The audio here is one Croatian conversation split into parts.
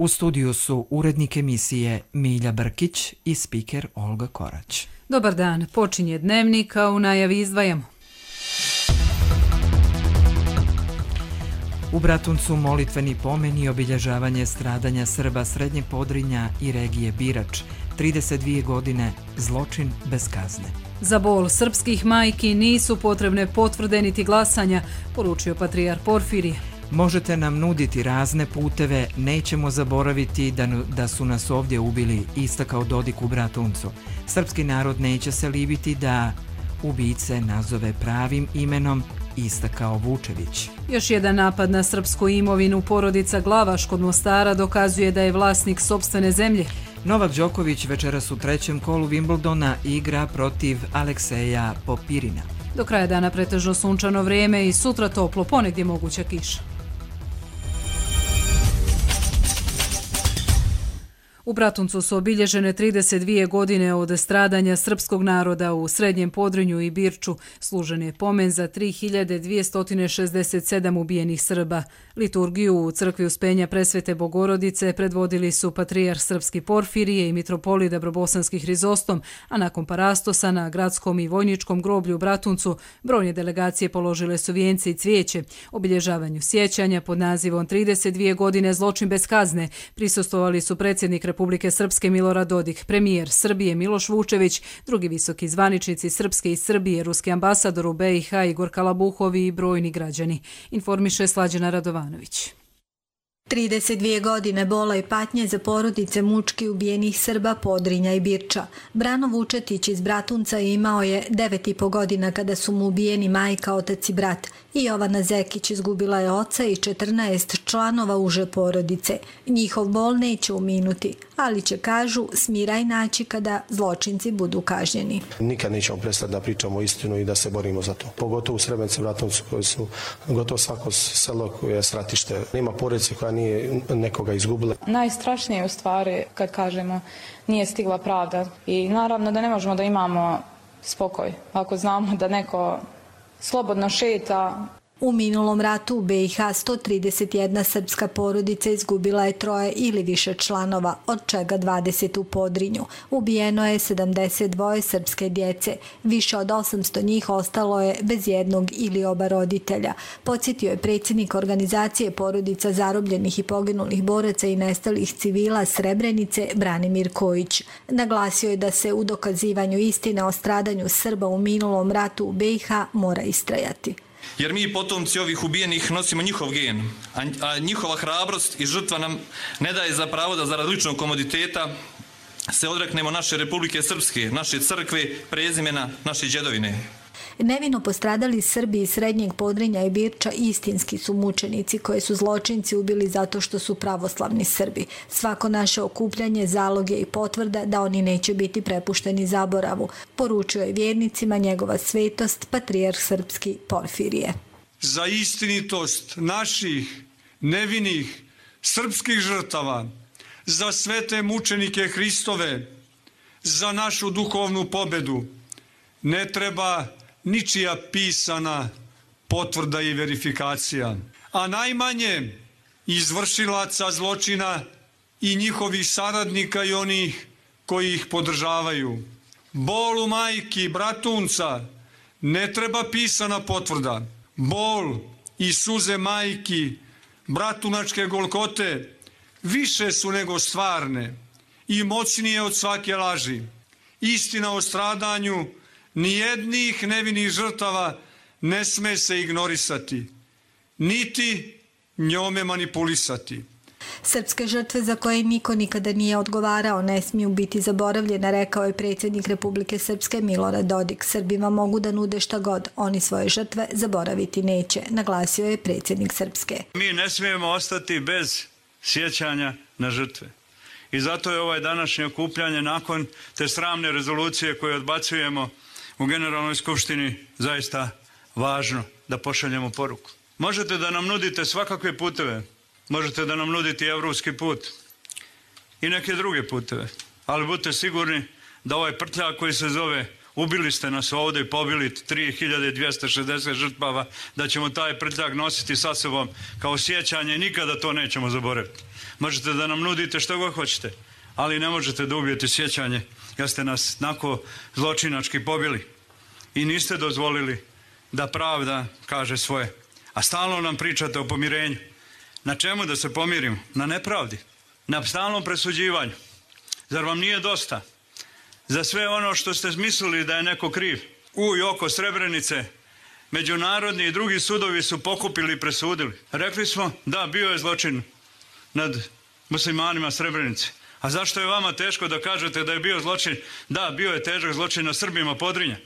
U studiju su urednik emisije Milja Brkić i spiker Olga Korać. Dobar dan, počinje dnevnik, a u najavi izdvajamo. U Bratuncu molitveni pomen i obilježavanje stradanja Srba Srednjeg Podrinja i regije Birač. 32 godine, zločin bez kazne. Za bol srpskih majki nisu potrebne potvrde niti glasanja, poručio patrijarh Porfirije. Možete nam nuditi razne puteve, nećemo zaboraviti da su nas ovdje ubili, istakao Dodik u Bratuncu. Srpski narod neće se libiti da ubice nazove pravim imenom, istakao Vučević. Još jedan napad na srpsku imovinu. Porodica Glavaš kod Mostara dokazuje da je vlasnik sopstvene zemlje. Novak Đoković večeras u trećem kolu Wimbledona igra protiv Alekseja Popirina. Do kraja dana pretežno sunčano vrijeme i sutra toplo, ponegdje moguća kiša. U Bratuncu su obilježene 32 godine od stradanja srpskog naroda u Srednjem Podrinju i Birču. Služen je pomen za 3267 ubijenih Srba. Liturgiju u crkvi Uspenja Presvete Bogorodice predvodili su patrijarh srpski Porfirije i mitropolit Dabrobosanski Hrizostom, a nakon parastosa na gradskom i vojničkom groblju u Bratuncu brojne delegacije položile su vijence i cvijeće. Obilježavanju sjećanja pod nazivom 32 godine zločin bez kazne prisustvovali su predsjednik Republike Srpske Milorad Dodik, premijer Srbije Miloš Vučević, drugi visoki zvaničnici Srpske i Srbije, ruski ambasador u BiH Igor Kalabuhov i brojni građani, informiše Slađana Radovanović. 32 godine bola i patnje za porodice mučki ubijenih Srba Podrinja i Birča. Brano Vučetić iz Bratunca imao je 9,5 godina kada su mu ubijeni majka, otac i brat. I Jovana Zekić izgubila je oca i 14 članova uže porodice. Njihov bol neće uminuti, ali će, kažu, smiraj naći kada zločinci budu kažnjeni. Nikad nećemo prestati da pričamo istinu i da se borimo za to. Pogotovo u Srebrenici, Bratuncu, koji su gotovo svako selo koje je stratište. Nema porodice koja nije nekoga izgubila. Najstrašnije je u stvari kad kažemo nije stigla pravda i naravno da ne možemo da imamo spokoj ako znamo da neko slobodno šeta. U minulom ratu u BiH 131 srpska porodica izgubila je 3 ili više članova, od čega 20 u Podrinju. Ubijeno je 72 srpske djece. Više od 800 njih ostalo je bez jednog ili oba roditelja. Podsjetio je predsjednik organizacije porodica zarobljenih i poginulih boraca i nestalih civila Srebrenice Branimir Kojić. Naglasio je da se u dokazivanju istine o stradanju Srba u minulom ratu u BiH mora istrajati. Jer mi potomci ovih ubijenih nosimo njihov gen, a njihova hrabrost i žrtva nam ne daje za pravo da zarad ličnog komoditeta se odreknemo naše Republike Srpske, naše crkve, prezimena, naše djedovine. Nevino postradali Srbi iz Srednjeg Podrinja i Birča istinski su mučenici koje su zločinci ubili zato što su pravoslavni Srbi. Svako naše okupljanje zalog je i potvrda da oni neće biti prepušteni zaboravu, poručio je vjernicima njegova svetost patrijarh srpski Porfirije. Za istinitost naših nevinih srpskih žrtava, za svete mučenike Hristove, za našu duhovnu pobedu ne treba ničija pisana potvrda i verifikacija, a najmanje izvršilaca zločina i njihovih saradnika i onih koji ih podržavaju. Bolu majki Bratunca ne treba pisana potvrda. Bol i suze majki Bratunačke Golgote više su nego stvarne i moćnije od svake laži. Istina o stradanju nijednih nevinih žrtava ne sme se ignorisati, niti njome manipulisati. Srpske žrtve za koje niko nikada nije odgovarao ne smiju biti zaboravljene, rekao je predsjednik Republike Srpske Milorad Dodik. Srbima mogu da nude šta god, oni svoje žrtve zaboraviti neće, naglasio je predsjednik Srpske. Mi ne smijemo ostati bez sjećanja na žrtve. I zato je ovaj današnje okupljanje nakon te sramne rezolucije koje odbacujemo u Generalnoj skupštini zaista važno da pošaljemo poruku. Možete da nam nudite svakakve puteve, možete da nam nudite evropski put i neke druge puteve, ali budite sigurni da ovaj prtljak koji se zove ubili ste nas ovdje i pobili 3260 žrtava, da ćemo taj prtljak nositi sa sobom kao sjećanje i nikada to nećemo zaboraviti. Možete da nam nudite što god hoćete, ali ne možete da ubijete sjećanje jer ste nas nako zločinački pobili i niste dozvolili da pravda kaže svoje. A stalno nam pričate o pomirenju. Na čemu da se pomirimo? Na nepravdi, na stalnom presuđivanju. Zar vam nije dosta? Za sve ono što ste mislili da je neko kriv u i oko Srebrenice, međunarodni i drugi sudovi su pokupili i presudili. Rekli smo da bio je zločin nad muslimanima Srebrenice. A zašto je vama teško da kažete da je bio zločin? Da, bio je težak zločin na Srbima Podrinja.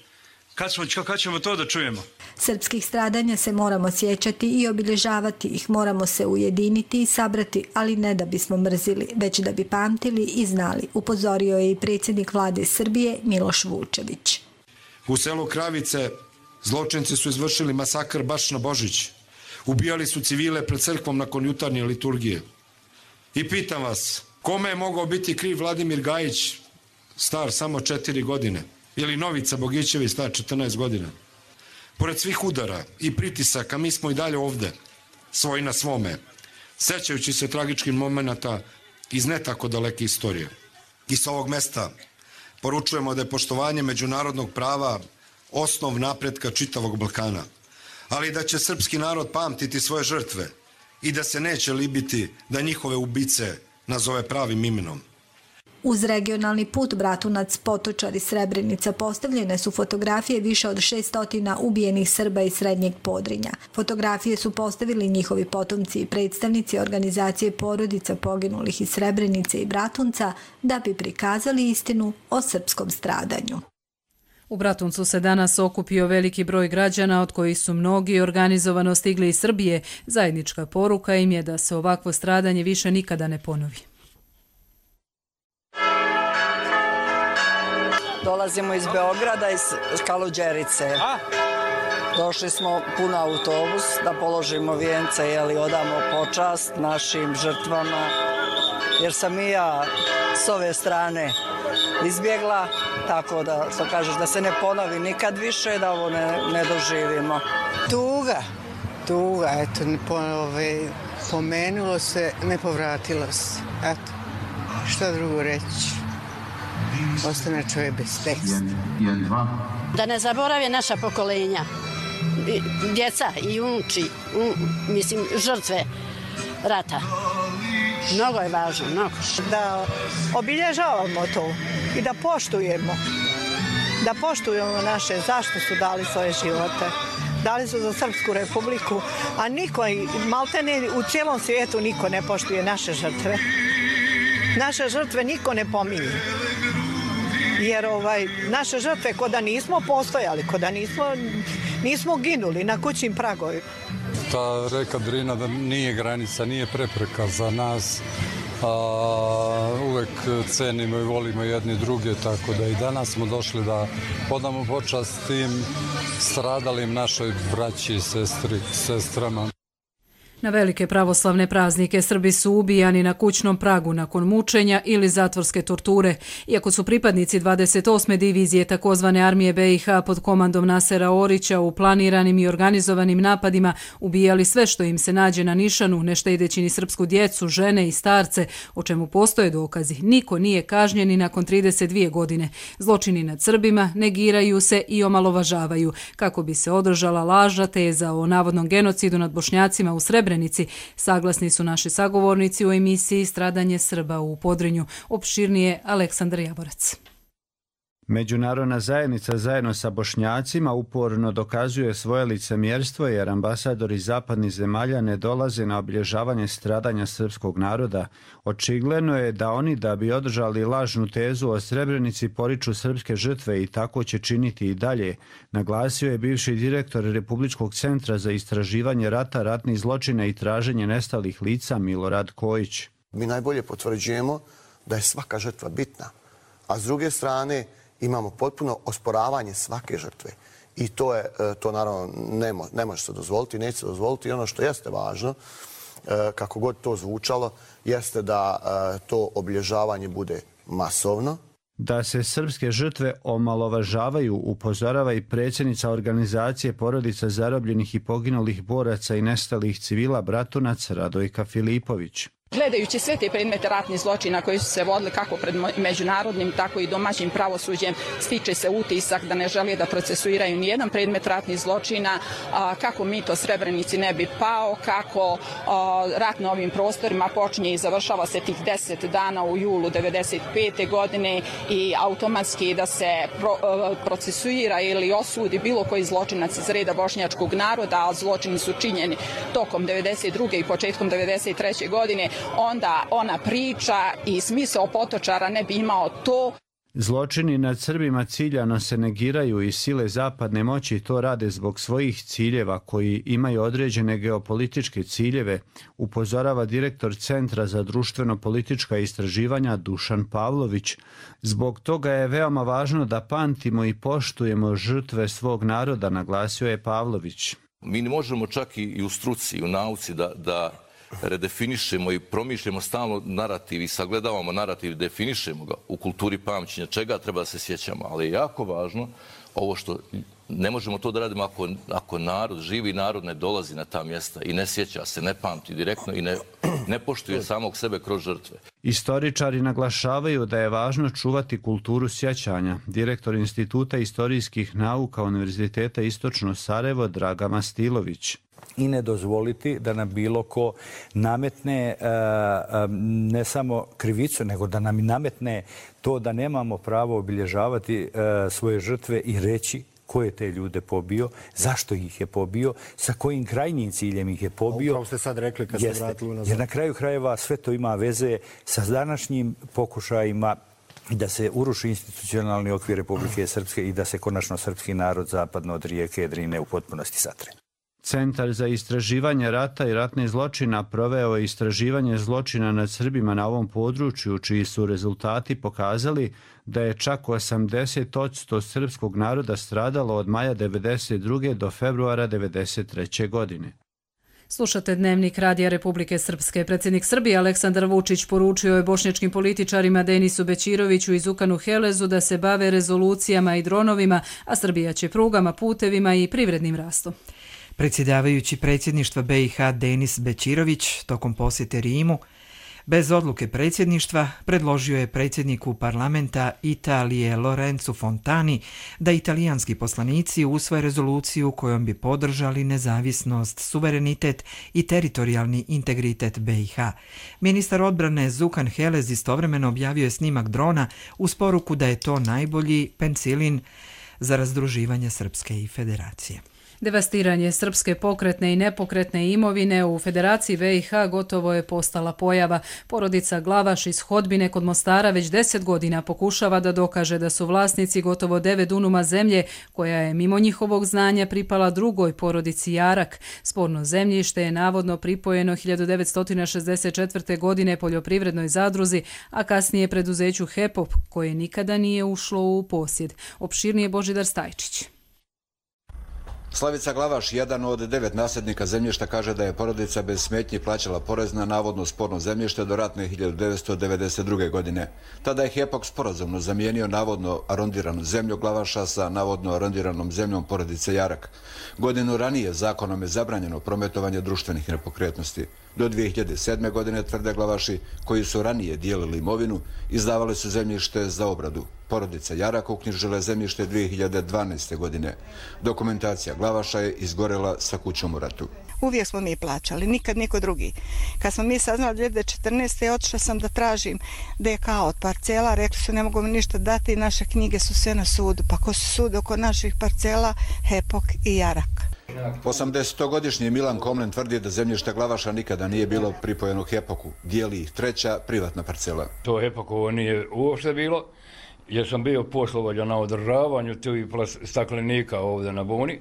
Kad ćemo to da čujemo? Srpskih stradanja se moramo sjećati i obilježavati ih, moramo se ujediniti i sabrati, ali ne da bismo mrzili, već da bi pamtili i znali, upozorio je i predsjednik vlade Srbije Miloš Vučević. U selu Kravice zločinci su izvršili masakr baš na Božić. Ubijali su civile pred crkvom nakon jutarnje liturgije. I pitam vas, kome je mogao biti kriv Vladimir Gajić, star samo 4 godine? Ili Novica Bogićević, star 14 godina? Pored svih udara i pritisaka, mi smo i dalje ovde, svoji na svome, sećajući se tragičkih momenata iz ne tako daleke istorije. I sa ovog mesta poručujemo da je poštovanje međunarodnog prava osnov napretka čitavog Balkana, ali da će srpski narod pamtiti svoje žrtve i da se neće libiti da njihove ubice nazove pravim imenom. Uz regionalni put Bratunac, Potočar i Srebrenica postavljene su fotografije više od 600 ubijenih Srba iz Srednjeg Podrinja. Fotografije su postavili njihovi potomci i predstavnici organizacije porodica poginulih iz Srebrenice i Bratunca da bi prikazali istinu o srpskom stradanju. U Bratuncu se danas okupio veliki broj građana, od kojih su mnogi organizovano stigli iz Srbije. Zajednička poruka im je da se ovakvo stradanje više nikada ne ponovi. Dolazimo iz Beograda, iz Kaluđerice. Došli smo pun autobus da položimo vijence, odamo počast našim žrtvama, jer sam i ja s ove strane izbjegla, tako da, što kažeš, da se ne ponovi nikad više, da ovo ne doživimo. Tuga, eto, pomenulo se, ne povratilo se, eto, šta drugo reći. Ostane čovjek bez teksta. Da ne zaborave naša pokolenja, djeca i unuči, žrtve rata. Mnogo je važno, mnogo. Da obilježavamo to i da poštujemo naše, zašto su dali svoje živote. Dali su za Srpsku republiku, a niko, maltene u cijelom svijetu niko ne poštuje naše žrtve. Naše žrtve niko ne pominje. Jer naše žrtve ko da nismo postojali, ko da nismo ginuli na kućnim pragovima. Ta reka Drina da nije granica, nije prepreka za nas. Uvek cenimo i volimo jedni druge, tako da i danas smo došli da podamo počast tim stradalim našoj braći i sestrama. Na velike pravoslavne praznike Srbi su ubijani na kućnom pragu nakon mučenja ili zatvorske torture. Iako su pripadnici 28. divizije takozvane armije BiH pod komandom Nasera Orića u planiranim i organizovanim napadima ubijali sve što im se nađe na nišanu, ne štedeći ni srpsku djecu, žene i starce, o čemu postoje dokazi. Niko nije kažnjen ni nakon 32 godine. Zločini nad Srbima negiraju se i omalovažavaju, kako bi se održala lažna teza o navodnom genocidu nad Bošnjacima u Srebrenici. Saglasni su naši sagovornici u emisiji Stradanje Srba u Podrinju. Opširnije Aleksandar Jaborac. Međunarodna zajednica zajedno sa Bošnjacima uporno dokazuje svoje licemjerstvo jer ambasadori zapadnih zemalja ne dolaze na obilježavanje stradanja srpskog naroda. Očigledno je da oni, da bi održali lažnu tezu o Srebrenici, poriču srpske žrtve i tako će činiti i dalje, naglasio je bivši direktor Republičkog centra za istraživanje rata, ratnih zločina i traženje nestalih lica Milorad Kojić. Mi najbolje potvrđujemo da je svaka žrtva bitna, a s druge strane imamo potpuno osporavanje svake žrtve. I to naravno ne može se dozvoliti, neće se dozvoliti. I ono što jeste važno, kako god to zvučalo, jeste da to obilježavanje bude masovno. Da se srpske žrtve omalovažavaju, upozorava i predsjednica organizacije porodica zarobljenih i poginulih boraca i nestalih civila Bratunac Radojka Filipović. Gledajući sve te predmete ratnih zločina koji su se vodili kako pred međunarodnim, tako i domaćim pravosuđem, stiče se utisak da ne žele da procesuiraju nijedan predmet ratnih zločina, kako mito Srebrenici ne bi pao, kako rat na ovim prostorima počinje i završava se tih 10 dana u julu 1995. godine i automatski da se procesuira ili osudi bilo koji zločinac iz reda bošnjačkog naroda, a zločini su činjeni tokom 1992. i početkom 1993. godine, onda ona priča i smisao Potočara ne bi imao to. Zločini nad Srbima ciljano se negiraju i sile zapadne moći to rade zbog svojih ciljeva koji imaju određene geopolitičke ciljeve, upozorava direktor Centra za društveno-politička istraživanja Dušan Pavlović. Zbog toga je veoma važno da pamtimo i poštujemo žrtve svog naroda, naglasio je Pavlović. Mi ne možemo čak i u struci, i u nauci da redefinišemo i promišljamo stalno narativ i sagledavamo narativ, definišemo ga u kulturi pamćenja, čega treba da se sjećamo. Ali je jako važno ovo što ne možemo to da radimo ako narod, živi narod ne dolazi na ta mjesta i ne sjeća se, ne pamti direktno i ne poštuje samog sebe kroz žrtve. Istoričari naglašavaju da je važno čuvati kulturu sjećanja. Direktor Instituta istorijskih nauka Univerziteta Istočno Sarajevo Draga Mastilović. I ne dozvoliti da nam bilo ko nametne ne samo krivicu, nego da nam nametne to da nemamo pravo obilježavati svoje žrtve i reći ko je te ljude pobio, zašto ih je pobio, sa kojim krajnjim ciljem ih je pobio. Upravo ste sad rekli kad ste vratili nazad. Jer na kraju krajeva sve to ima veze sa današnjim pokušajima da se uruši institucionalni okvir Republike Srpske i da se konačno srpski narod zapadno od rijeke Drine u potpunosti satre. Centar za istraživanje rata i ratnih zločina proveo je istraživanje zločina nad Srbima na ovom području, čiji su rezultati pokazali da je čak 80% srpskog naroda stradalo od maja 1992. do februara 1993. godine. Slušate Dnevnik Radija Republike Srpske. Predsjednik Srbije Aleksandar Vučić poručio je bošnjačkim političarima Denisu Bećiroviću i Zukanu Helezu da se bave rezolucijama i dronovima, a Srbija će prugama, putevima i privrednim rastom. Predsjedavajući predsjedništva BiH Denis Bećirović tokom posjete Rimu bez odluke predsjedništva predložio je predsjedniku parlamenta Italije Lorenzu Fontani da italijanski poslanici usvoje rezoluciju kojom bi podržali nezavisnost, suverenitet i teritorijalni integritet BiH. Ministar odbrane Zukan Helez istovremeno objavio je snimak drona uz poruku da je to najbolji penicilin za razdruživanje Srpske i Federacije. Devastiranje srpske pokretne i nepokretne imovine u Federaciji BiH gotovo je postala pojava. Porodica Glavaš iz Hodbine kod Mostara već 10 godina pokušava da dokaže da su vlasnici gotovo 9 dunuma zemlje, koja je mimo njihovog znanja pripala drugoj porodici Jarak. Sporno zemljište je navodno pripojeno 1964. godine poljoprivrednoj zadruzi, a kasnije preduzeću HEPOP, koje nikada nije ušlo u posjed. Opširnije Božidar Stajčić. Slavica Glavaš, jedan od 9 nasljednika zemljišta, kaže da je porodica bez smetnji plaćala porez na navodno sporno zemljište do ratne 1992. godine. Tada je HEPOK sporazumno zamijenio navodno arondiranu zemlju Glavaša sa navodno arondiranom zemljom porodice Jarak. Godinu ranije zakonom je zabranjeno prometovanje društvenih nepokretnosti. Do 2007. godine, tvrde Glavaši, koji su ranije dijelili imovinu, izdavali su zemljište za obradu. Porodica Jarak uknjižila zemljište 2012. godine. Dokumentacija Glavaša je izgorela sa kućom u ratu. Uvijek smo mi plaćali, nikad niko drugi. Kad smo mi saznali 2014. otišla sam da tražim DK od parcela, rekli su ne mogu mi ništa dati i naše knjige su sve na sudu. Pa ko su sud oko naših parcela? HEPOK i Jarak. 80-godišnji Milan Komlen tvrdi da zemljište Glavaša nikada nije bilo pripojeno HEPOK-u. Dijeli ih treća privatna parcela. To HEPOK-ovo nije uopšte bilo, jer sam bio poslovođa na održavanju tih staklenika ovdje na Buni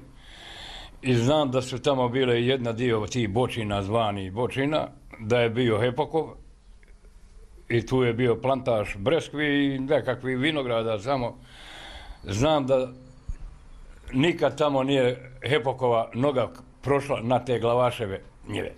i znam da su tamo bile jedna dio tih bočina, zvani bočina, da je bio HEPOK-ov i tu je bio plantaž breskvi i nekakvi vinograda samo. Znam da nikad tamo nije HEPOK-ova noga prošla na te Glavaševe njive.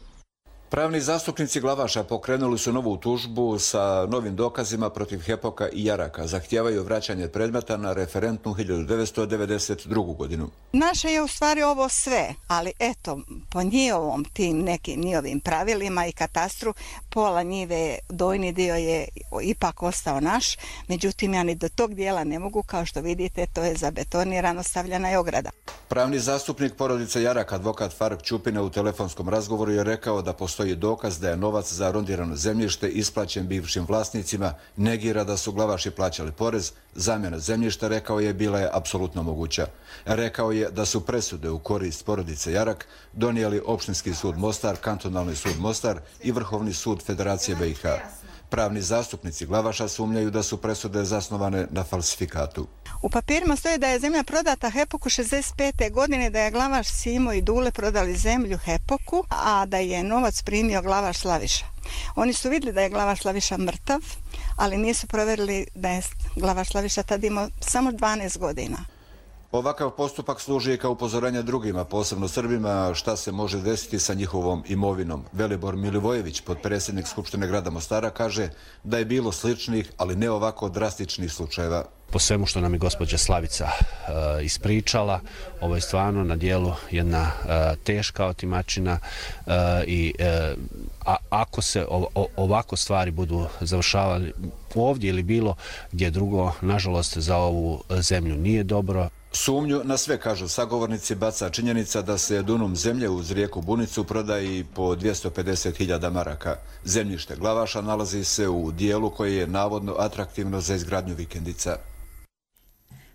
Pravni zastupnici Glavaša pokrenuli su novu tužbu sa novim dokazima protiv Hepoka i Jaraka. Zahtijevaju vraćanje predmeta na referentnu 1992. godinu. Naše je u stvari ovo sve, ali eto, po njihovom tim nekim njihovim pravilima i katastru, pola njive, dojni dio je ipak ostao naš, međutim ja ni do tog dijela ne mogu, kao što vidite, to je zabetonirano, stavljena je ograda. Pravni zastupnik porodice Jarak, advokat Faruk Ćupina, u telefonskom razgovoru je rekao da postoji dokaz da je novac za arondirano zemljište isplaćen bivšim vlasnicima, negira da su Glavaši plaćali porez, zamjena zemljišta, rekao je, bila je apsolutno moguća. Rekao je da su presude u korist porodice Jarak donijeli Opštinski sud Mostar, Kantonalni sud Mostar i Vrhovni sud Federacije BiH. Pravni zastupnici Glavaša sumnjaju da su presude zasnovane na falsifikatu. U papirima stoji da je zemlja prodata Hepoku 65. godine, da je Glavaš Simo i Dule prodali zemlju Hepoku, a da je novac primio Glavaš Slaviša. Oni su vidjeli da je Glavaš Slaviša mrtav, ali nisu provjerili da je Glavaš Slaviša tad imao samo 12 godina. Ovakav postupak služi kao upozorenje drugima, posebno Srbima, šta se može desiti sa njihovom imovinom. Velibor Milivojević, potpredsjednik Skupštine grada Mostara, kaže da je bilo sličnih, ali ne ovako drastičnih slučajeva. Po svemu što nam je gospođa Slavica ispričala, ovo je stvarno na dijelu jedna teška otimačina i ako se ovako stvari budu završavali ovdje ili bilo gdje drugo, nažalost za ovu zemlju nije dobro. Sumnju na sve, kažu sagovornici, baca činjenica da se dunum zemlje uz rijeku Bunicu prodaje po 250.000 maraka. Zemljište Glavaša nalazi se u dijelu koji je navodno atraktivno za izgradnju vikendica.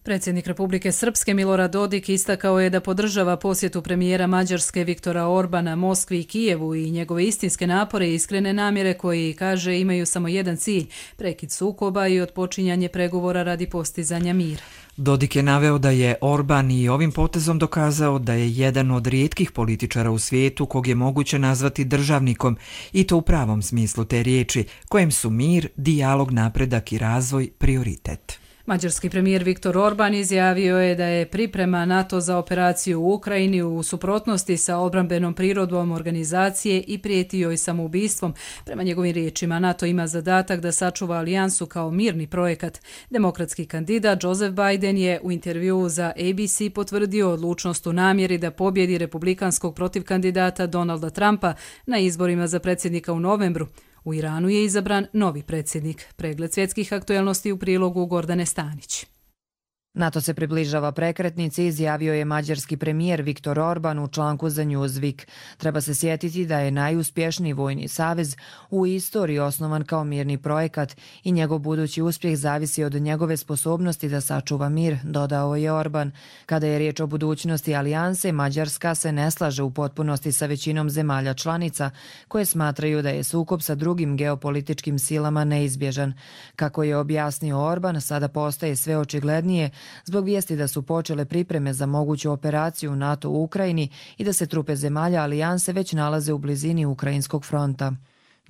Predsjednik Republike Srpske Milorad Dodik istakao je da podržava posjetu premijera Mađarske Viktora Orbana Moskvi i Kijevu i njegove istinske napore i iskrene namjere koji, kaže, imaju samo jedan cilj, prekid sukoba i otpočinjanje pregovora radi postizanja mira. Dodik je naveo da je Orban i ovim potezom dokazao da je jedan od rijetkih političara u svijetu kog je moguće nazvati državnikom, i to u pravom smislu te riječi, kojem su mir, dijalog, napredak i razvoj prioritet. Mađarski premijer Viktor Orban izjavio je da je priprema NATO za operaciju u Ukrajini u suprotnosti sa odbrambenom prirodom organizacije i prijeti joj samoubistvom. Prema njegovim riječima, NATO ima zadatak da sačuva alijansu kao mirni projekat. Demokratski kandidat Joseph Biden je u intervjuu za ABC potvrdio odlučnost u namjeri da pobjedi republikanskog protivkandidata Donalda Trumpa na izborima za predsjednika u novembru. U Iranu je izabran novi predsjednik. Pregled svjetskih aktuelnosti u prilogu Gordane Stanić. NATO se približava prekretnici, izjavio je mađarski premijer Viktor Orban u članku za Newsweek. Treba se sjetiti da je najuspješniji vojni savez u istoriji osnovan kao mirni projekat i njegov budući uspjeh zavisi od njegove sposobnosti da sačuva mir, dodao je Orban. Kada je riječ o budućnosti alijanse, Mađarska se ne slaže u potpunosti sa većinom zemalja članica koje smatraju da je sukob sa drugim geopolitičkim silama neizbježan. Kako je objasnio Orban, sada postaje sve očiglednije zbog vijesti da su počele pripreme za moguću operaciju NATO u Ukrajini i da se trupe zemalja alijanse već nalaze u blizini ukrajinskog fronta.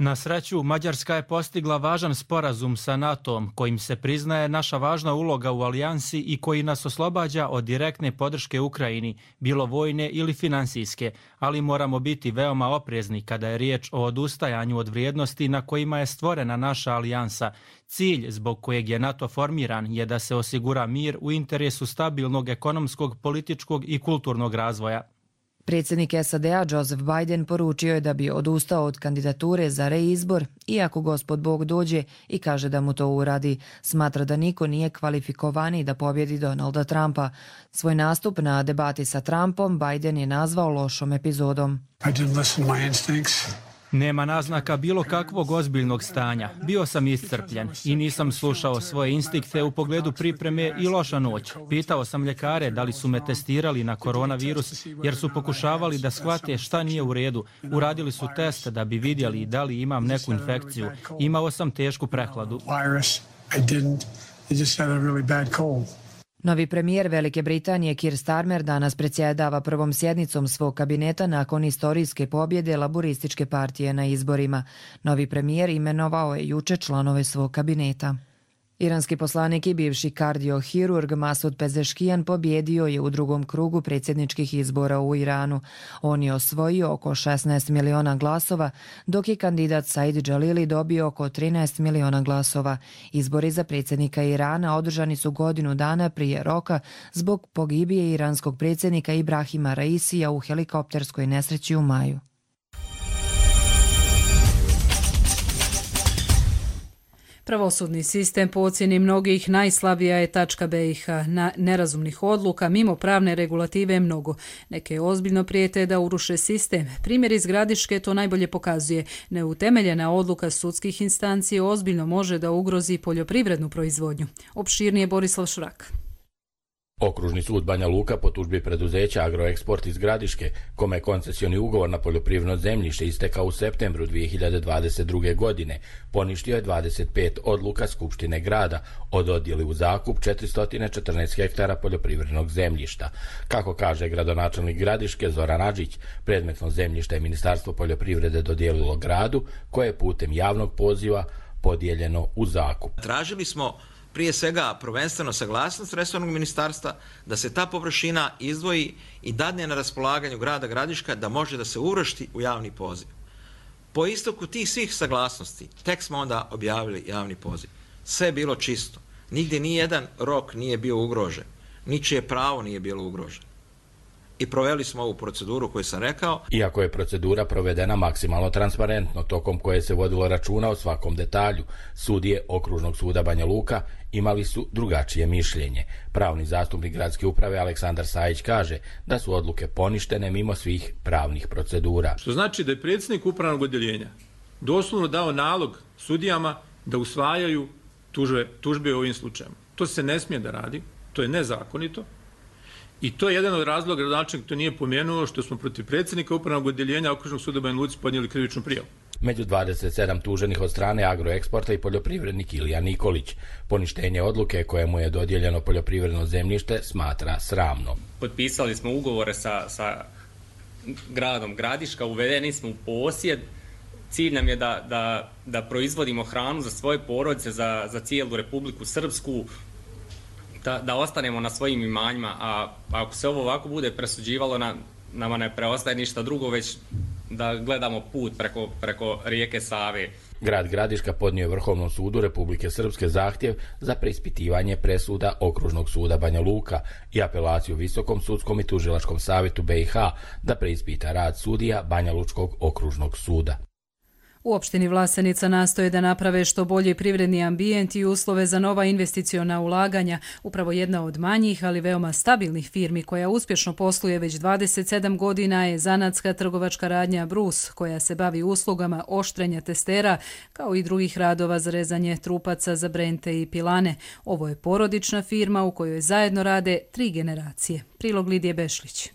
Na sreću, Mađarska je postigla važan sporazum sa NATO-om kojim se priznaje naša važna uloga u alijansi i koji nas oslobađa od direktne podrške Ukrajini, bilo vojne ili finansijske, ali moramo biti veoma oprezni kada je riječ o odustajanju od vrijednosti na kojima je stvorena naša alijansa. Cilj zbog kojeg je NATO formiran je da se osigura mir u interesu stabilnog ekonomskog, političkog i kulturnog razvoja. Predsjednik SAD-a Joseph Biden poručio je da bi odustao od kandidature za reizbor, iako Gospod Bog dođe i kaže da mu to uradi. Smatra da niko nije kvalifikovaniji da pobjedi Donalda Trumpa. Svoj nastup na debati sa Trumpom Biden je nazvao lošom epizodom. Nema naznaka bilo kakvog ozbiljnog stanja. Bio sam iscrpljen i nisam slušao svoje instinkte u pogledu pripreme i loša noć. Pitao sam ljekare da li su me testirali na koronavirus jer su pokušavali da shvate šta nije u redu. Uradili su test da bi vidjeli da li imam neku infekciju. Imao sam tešku prehladu. Novi premijer Velike Britanije Keir Starmer danas predsjedava prvom sjednicom svog kabineta nakon istorijske pobjede Laburističke partije na izborima. Novi premijer imenovao je juče članove svog kabineta. Iranski poslanik i bivši kardiohirurg Masud Pezeškijan pobjedio je u drugom krugu predsjedničkih izbora u Iranu. On je osvojio oko 16 miliona glasova, dok je kandidat Said Jalili dobio oko 13 miliona glasova. Izbori za predsjednika Irana održani su godinu dana prije roka zbog pogibije iranskog predsjednika Ibrahima Raisija u helikopterskoj nesreći u maju. Pravosudni sistem po ocjeni mnogih najslabija je tačka BiH. Na nerazumnih odluka mimo pravne regulative je mnogo. Neke ozbiljno prijete da uruše sistem. Primjer iz Gradiške to najbolje pokazuje. Neutemeljena odluka sudskih instanci ozbiljno može da ugrozi poljoprivrednu proizvodnju. Opširnije Borislav Šurak. Okružni sud Banja Luka po tužbi preduzeća Agroeksport iz Gradiške, kome je koncesioni ugovor na poljoprivredno zemljište istekao u septembru 2022. godine, poništio je 25 odluka Skupštine grada o dodjeli u zakup 414 hektara poljoprivrednog zemljišta. Kako kaže gradonačelnik Gradiške Zoran Adžić, predmetno zemljište je Ministarstvo poljoprivrede dodijelilo gradu, koje je putem javnog poziva podijeljeno u zakup. Tražili smo prije svega prvenstveno saglasnost resornog ministarstva da se ta površina izdvoji i dadne na raspolaganju grada Gradiška da može da se uvrsti u javni poziv. Po istoku tih svih saglasnosti tek smo onda objavili javni poziv. Sve je bilo čisto. Nigdje nijedan rok nije bio ugrožen. Ničije pravo nije bilo ugroženo. I proveli smo ovu proceduru koju sam rekao. Iako je procedura provedena maksimalno transparentno, tokom koje se vodilo računa o svakom detalju, sudije Okružnog suda Banja Luka imali su drugačije mišljenje. Pravni zastupnik gradske uprave Aleksandar Sajić kaže da su odluke poništene mimo svih pravnih procedura. Što znači da je predsjednik upravnog odjeljenja doslovno dao nalog sudijama da usvajaju tužbe u ovim slučajima. To se ne smije da radi, to je nezakonito. I to je jedan od razloga, gradonačelnik to nije pomenuo, što smo protiv predsjednika upravnog odjeljenja Okružnog suda Banja Luci podnijeli krivičnu prijavu. Među 27 tuženih od strane Agroeksporta i poljoprivrednik Ilija Nikolić. Poništenje odluke kojemu je dodijeljeno poljoprivredno zemljište smatra sramno. Potpisali smo ugovore sa gradom Gradiška, uvedeni smo u posjed. Cilj nam je da proizvodimo hranu za svoje porodice, za cijelu Republiku Srpsku, da ostanemo na svojim imanjima, a ako se ovo ovako bude presuđivalo, nama ne preostaje ništa drugo, već da gledamo put preko rijeke Save. Grad Gradiška podnio je Vrhovnom sudu Republike Srpske zahtjev za preispitivanje presuda Okružnog suda Banja Luka i apelaciju Visokom sudskom i tužilačkom savjetu BiH da preispita rad sudija Banja Lučkog okružnog suda. U opštini Vlasenica nastoje da naprave što bolji privredni ambijent i uslove za nova investiciona ulaganja. Upravo jedna od manjih, ali veoma stabilnih firmi koja uspješno posluje već 27 godina je zanatska trgovačka radnja Brus, koja se bavi uslugama oštrenja testera, kao i drugih radova za rezanje trupaca za brente i pilane. Ovo je porodična firma u kojoj zajedno rade 3 generacije. Prilog Lidije Bešlić.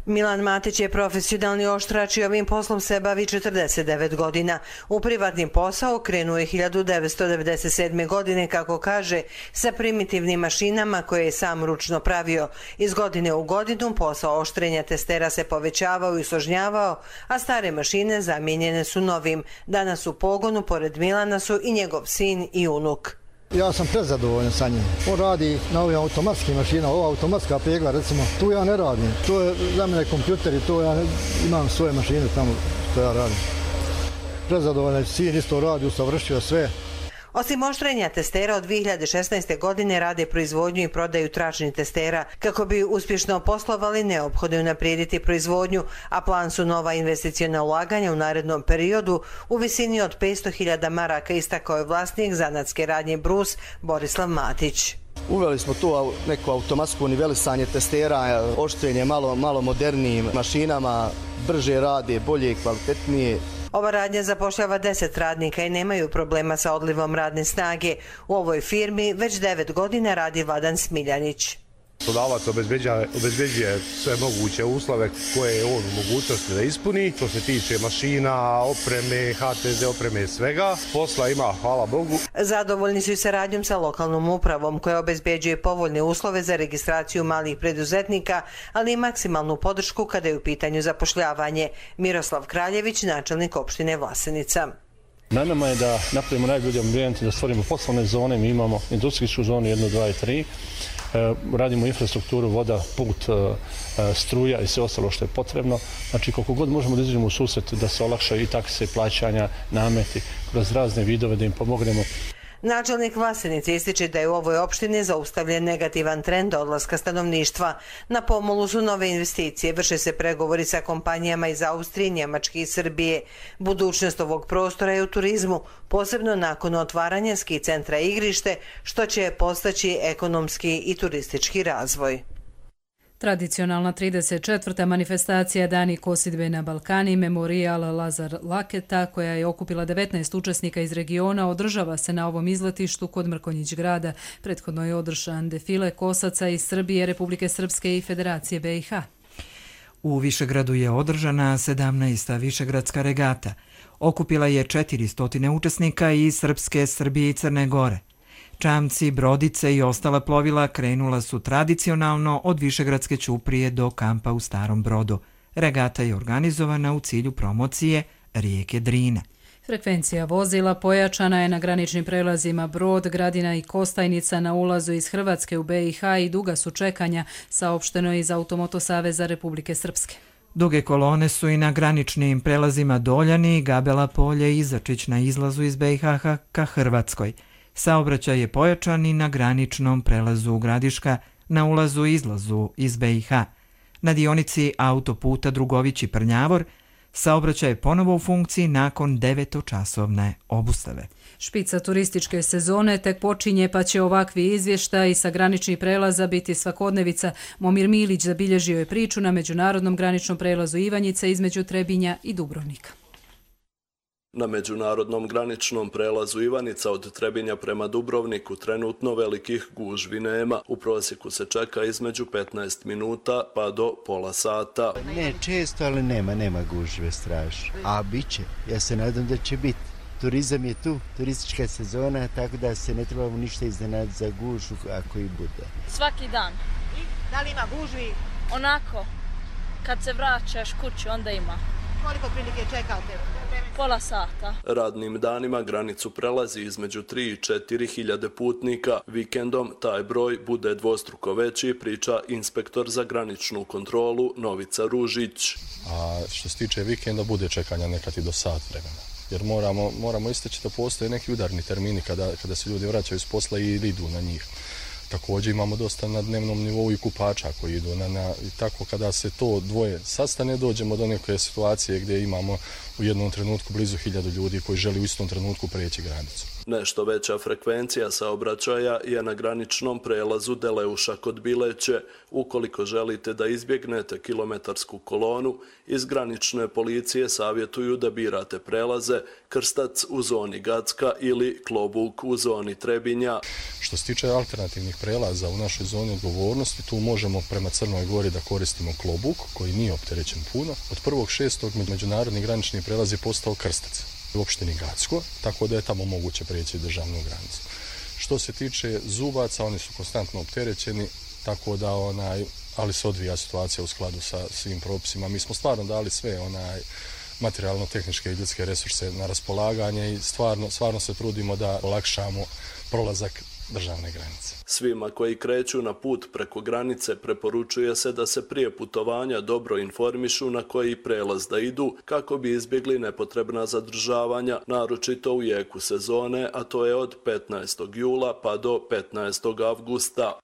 Milan Matić je profesionalni oštrač i ovim poslom se bavi 49 godina. U privatni posao krenuo je 1997. godine, kako kaže, sa primitivnim mašinama koje je sam ručno pravio. Iz godine u godinu posao oštrenja testera se povećavao i složnjavao, a stare mašine zamijenjene su novim. Danas u pogonu pored Milana su i njegov sin i unuk. Ja sam prezadovoljan sa njim. On radi na ovim automatskim mašinama, ova automatska pegla, recimo, tu ja ne radim. To je za mene kompjuter i to ja imam svoje mašine tamo što ja radim. Prezadovoljan, sin isto radi, usavršio sve. Osim oštrenja testera, od 2016. godine rade proizvodnju i prodaju tračnih testera. Kako bi uspješno poslovali, neophodno je unaprijediti proizvodnju, a plan su nova investiciona ulaganja u narednom periodu u visini od 500.000 maraka, istakao je vlasnik zanatske radnje Brus Borislav Matić. Uveli smo tu neku automatsko nivelisanje testera, oštrenje malo modernijim mašinama, brže rade, bolje i kvalitetnije. Ova radnja zapošljava 10 radnika i nemaju problema sa odlivom radne snage. U ovoj firmi već 9 godina radi Vladan Smiljanić. Poslodavac obezbeđuje sve moguće uslove koje je on u mogućnosti da ispuni. Što se tiče mašina, opreme, HTZ opreme, svega. Posla ima, hvala Bogu. Zadovoljni su i saradnjom sa lokalnom upravom koja obezbeđuje povoljne uslove za registraciju malih preduzetnika, ali i maksimalnu podršku kada je u pitanju zapošljavanje. Miroslav Kraljević, načelnik opštine Vlasenica. Na nama je da napravimo najbolji ambijent, da stvorimo poslovne zone. Mi imamo industrijsku zonu 1, 2 i 3. Radimo infrastrukturu, voda, put, struja i sve ostalo što je potrebno. Znači, koliko god možemo da izađemo u susret da se olakšaju i takse, plaćanja, nameti, kroz razne vidove da im pomognemo. Načelnik Vlasenica ističe da je u ovoj opštini zaustavljen negativan trend odlaska stanovništva. Na pomolu su nove investicije, vrše se pregovori sa kompanijama iz Austrije, Njemačke i Srbije. Budućnost ovog prostora je u turizmu, posebno nakon otvaranja ski centra i igrište, što će postaći ekonomski i turistički razvoj. Tradicionalna 34. manifestacija Dani kosidbe na Balkani, Memorijal Lazar Laketa, koja je okupila 19 učesnika iz regiona, održava se na ovom izletištu kod Mrkonjić grada. Prethodno je održan defile kosaca iz Srbije, Republike Srpske i Federacije BiH. U Višegradu je održana 17. Višegradska regata. Okupila je 400 učesnika iz Srpske, Srbije i Crne Gore. Čamci, brodice i ostala plovila krenula su tradicionalno od Višegradske ćuprije do kampa u Starom Brodu. Regata je organizovana u cilju promocije rijeke Drine. Frekvencija vozila pojačana je na graničnim prelazima Brod, Gradina i Kostajnica na ulazu iz Hrvatske u BiH i duga su čekanja, saopšteno iz Automoto Saveza Republike Srpske. Duge kolone su i na graničnim prelazima Doljani, Gabela Polje i Začić na izlazu iz BiH ka Hrvatskoj. Saobraćaj je pojačan i na graničnom prelazu Gradiška na ulazu i izlazu iz BiH. Na dionici autoputa Drugović i Prnjavor saobraćaj je ponovo u funkciji nakon 9-časovne obustave. Špica turističke sezone tek počinje, pa će ovakvi izvještaji sa graničnih prelaza biti svakodnevica. Momir Milić zabilježio je priču na međunarodnom graničnom prelazu Ivanjice između Trebinja i Dubrovnika. Na međunarodnom graničnom prelazu Ivanica od Trebinja prema Dubrovniku trenutno velikih gužvi nema. U prosjeku se čeka između 15 minuta pa do pola sata. Ne često, ali nema gužve strašno. A bit će, ja se nadam da će biti. Turizam je tu, turistička sezona, tako da se ne trebamo ništa iznenaditi za gužvu ako i bude. Svaki dan. Da li ima gužvi? Onako, kad se vraćaš kući, onda ima. Koliko prilike čekate? Pola sata. Radnim danima granicu prelazi između 3 i 4 hiljade putnika. Vikendom taj broj bude dvostruko veći, priča inspektor za graničnu kontrolu Novica Ružić. A što se tiče vikenda, bude čekanja nekad i do sat vremena. Jer moramo istaći da postoje neki udarni termini kada se ljudi vraćaju s posla i idu na njih. Također imamo dosta na dnevnom nivou i kupača koji idu i tako kada se to dvoje sastane, dođemo do neke situacije gdje imamo u jednom trenutku blizu 1000 ljudi koji želi u istom trenutku preći granicu. Nešto veća frekvencija saobraćaja je na graničnom prelazu Deleuša kod Bileće. Ukoliko želite da izbjegnete kilometarsku kolonu, iz granične policije savjetuju da birate prelaze Krstac u zoni Gacka ili Klobuk u zoni Trebinja. Što se tiče alternativnih prelaza u našoj zoni odgovornosti, tu možemo prema Crnoj Gori da koristimo Klobuk, koji nije opterećen puno. Od 1.6. međunarodni granični prelaz je postao Krstac u opštini Gacko, tako da je tamo moguće preći državnu granicu. Što se tiče Zubaca, oni su konstantno opterećeni, tako da ali se odvija situacija u skladu sa svim propisima. Mi smo stvarno dali sve materijalno-tehničke i ljudske resurse na raspolaganje i stvarno se trudimo da olakšamo prolazak državne granice. Svima koji kreću na put preko granice preporučuje se da se prije putovanja dobro informišu na koji prelaz da idu kako bi izbjegli nepotrebna zadržavanja, naročito u jeku sezone, a to je od 15. jula pa do 15. avgusta.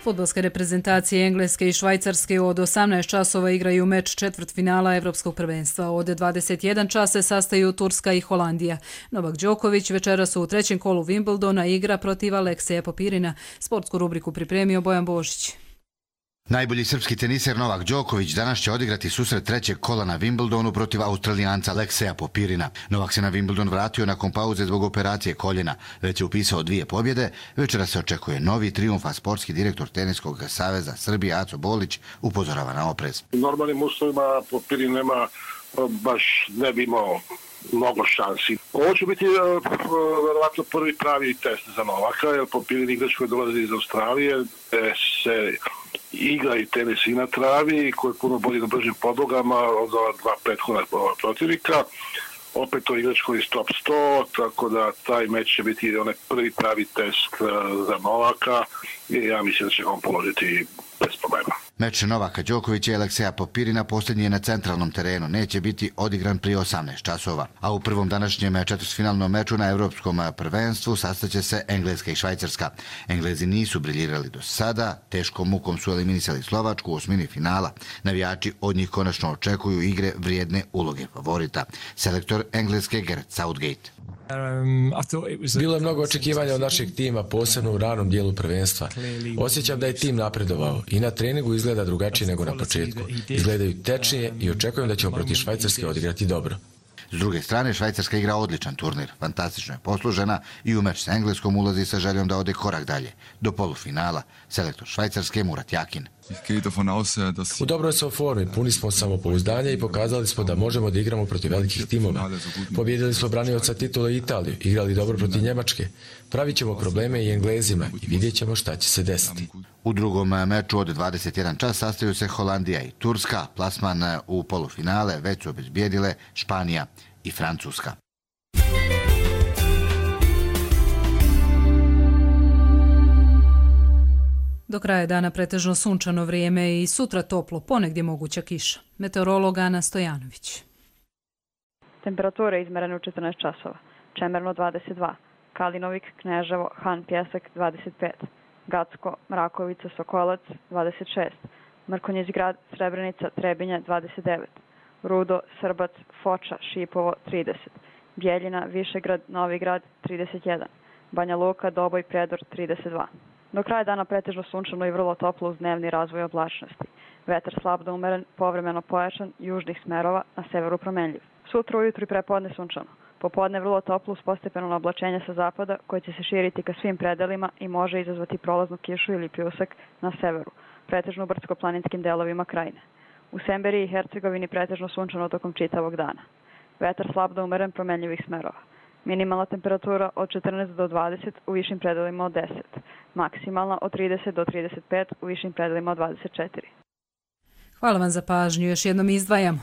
Fudbalske reprezentacije Engleske i Švajcarske od 18 časova igraju meč četvrtfinala Evropskog prvenstva. Od 21 časa se sastaju Turska i Holandija. Novak Đoković večeras u trećem kolu Wimbledona igra protiv Alekseja Popirina. Sportsku rubriku pripremio Bojan Božić. Najbolji srpski teniser Novak Đoković danas će odigrati susret trećeg kola na Wimbledonu protiv Australijanca Alekseja Popirina. Novak se na Wimbledon vratio nakon pauze zbog operacije koljena. Već je upisao 2 pobjede. Večera se očekuje novi trijumf, a sportski direktor Teniskog saveza Srbije Aco Bolić upozorava na oprez. U normalnim uslovima Popirin nema baš ne bi imao mnogo šansi. Ovo će biti verovatno prvi pravi test za Novaka, jer Popirin igrač koji dolazi iz Australije se igra i tenis i na travi, koji je puno bolji na bržim podlogama od ova dva prethodna protivnika. Opet to igrač koji je top 100, tako da taj meč će biti onaj prvi pravi test za Novaka i ja mislim da će on položiti bez problema. Meč Novaka Đokovića i Alekseja Popirina posljednji je na centralnom terenu, neće biti odigran prije 18 časova. A u prvom današnjem četvrtfinalnom meču na Evropskom prvenstvu sastaće se Engleska i Švajcarska. Englezi nisu briljirali do sada, teškom mukom su eliminisali Slovačku u osmini finala. Navijači od njih konačno očekuju igre vrijedne uloge favorita. Selektor Engleske Gareth Southgate. Bilo je mnogo očekivanja od našeg tima, posebno u ranom dijelu prvenstva. Osjećam da je tim napredovao i na treningu izgleda drugačije nego na početku. Izgledaju tečnije i očekujem da ćemo protiv Švajcarske odigrati dobro. S druge strane, Švajcarska igra odličan turnir, fantastično je poslužena i u meč s Engleskom ulazi sa željom da ode korak dalje, do polufinala. Selektor Švajcarske Murat Yakin. U dobroj smo formi, puni smo samopouzdanja i pokazali smo da možemo da igramo protiv velikih timova. Pobjedili smo branioca titule Italiju, igrali dobro protiv Njemačke. Pravit ćemo probleme i Englezima i vidjet ćemo šta će se desiti. U drugom meču od 21 čas sastaju se Holandija i Turska. Plasman u polufinale već su obezbijedile Španija i Francuska. Do kraja dana pretežno sunčano vrijeme i sutra toplo, ponegdje moguća kiša. Meteorolog Ana Stojanović. Temperatura izmerena u 14 časova. Čemerno 22, Kalinovik, Kneževo, Han Pjesak 25, Gacko, Mrakovica, Sokolac 26, Mrkonjić grad, Srebrenica, Trebinja 29, Rudo, Srbac, Foča, Šipovo 30, Bjeljina, Višegrad, Novi grad 31, Banja Luka, Doboj, Predor 32. Do kraja dana pretežno sunčano i vrlo toplo uz dnevni razvoj oblačnosti. Vetar slab do umeren, povremeno pojačan, južnih smerova, na severu promenljiv. Sutra ujutru i prepodne sunčano. Popodne vrlo toplo uz postepeno oblačenje sa zapada koje će se širiti ka svim predelima i može izazvati prolaznu kišu ili pljusak na severu, pretežno u brdsko-planinskim delovima krajine. U Semberiji i Hercegovini pretežno sunčano tokom čitavog dana. Vetar slab do umeren, promenljivih smerova. Minimalna temperatura od 14 do 20 u višim predelima od 10. Maksimalna od 30 do 35 u višim predelima od 24. Hvala vam za pažnju. Još jednom izdvajamo.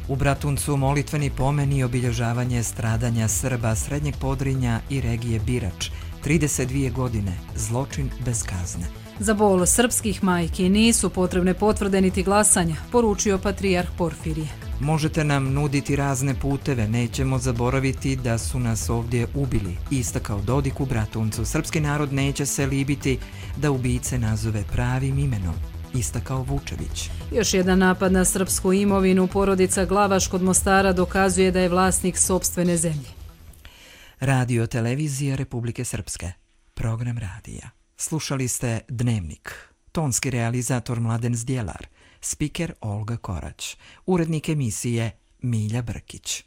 U Bratuncu molitveni pomen i obilježavanje stradanja Srba Srednjeg Podrinja i regije Birač. 32 godine, zločin bez kazne. Za bol srpskih majki nisu potrebne potvrde niti glasanja, poručio patrijarh Porfirije. Možete nam nuditi razne puteve, nećemo zaboraviti da su nas ovdje ubili, istakao Dodik u Bratuncu. Srpski narod neće se libiti da ubice nazove pravim imenom, istakao Vučević. Još jedan napad na srpsku imovinu. Porodica Glavaš kod Mostara dokazuje da je vlasnik sopstvene zemlje. Radio Televizija Republike Srpske. Program radija. Slušali ste Dnevnik. Tonski realizator Mladen Zdjelar. Spiker Olga Korać. Urednik emisije Milja Brkić.